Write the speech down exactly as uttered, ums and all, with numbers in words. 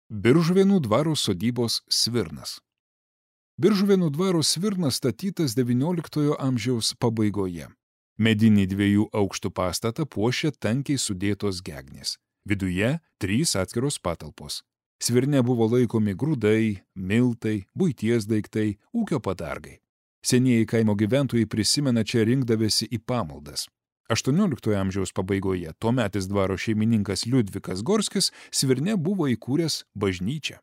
Biržuvėnų dvaro sodybos svirnas. Biržuvėnų dvaro svirnas statytas devynioliktojo amžiaus pabaigoje. Medinį dviejų aukštų pastatą puošia tankiai sudėtos gegnės. Viduje trys atskiros patalpos. Svirne buvo laikomi grūdai, miltai, buities daiktai, ūkio padargai. Senieji kaimo gyventojai prisimena čia rinkdavėsi į pamaldas. aštuonioliktojo amžiaus pabaigoje tuometis dvaro šeimininkas Liudvikas Gorskis Svirne buvo įkūręs bažnyčią.